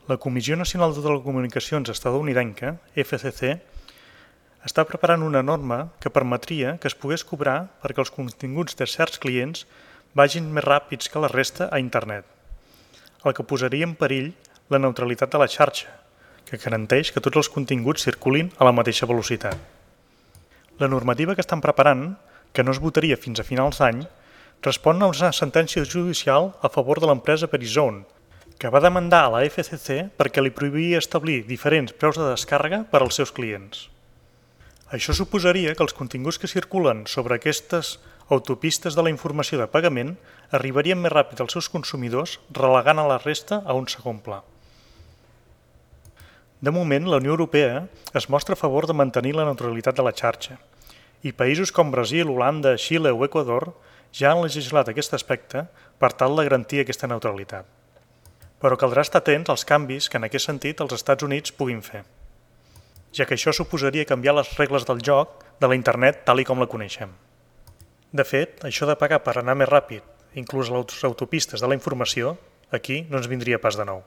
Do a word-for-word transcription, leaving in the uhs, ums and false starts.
La Comissió Nacional de Telecomunicacions estatunidenca, F C C, està preparant una norma que permetria que es pogués cobrar perquè els continguts de certs clients vagin més ràpids que la resta a internet, el que posaria en perill la neutralitat de la xarxa, que garanteix que tots els continguts circulin a la mateixa velocitat. La normativa que estan preparant, que no es votaria fins a finals d'any, respon a una sentència judicial a favor de l'empresa Verizon, que va demandar a la F C C perquè li prohibia establir diferents preus de descàrrega per als seus clients. Això suposaria que els continguts que circulen sobre aquestes autopistes de la informació de pagament arribarien més ràpid als seus consumidors, relegant a la resta a un segon pla. De moment, la Unió Europea es mostra a favor de mantenir la neutralitat de la xarxa, i països com Brasil, Holanda, Xile o Equador ja han legislat aquest aspecte per tal de garantir aquesta neutralitat. Però caldrà estar atents als canvis que en aquest sentit els Estats Units puguin fer, ja que això suposaria canviar les regles del joc de la internet tal i com la coneixem. De fet, això de pagar per anar més ràpid, inclús a les autopistes de la informació, aquí no ens vindria pas de nou.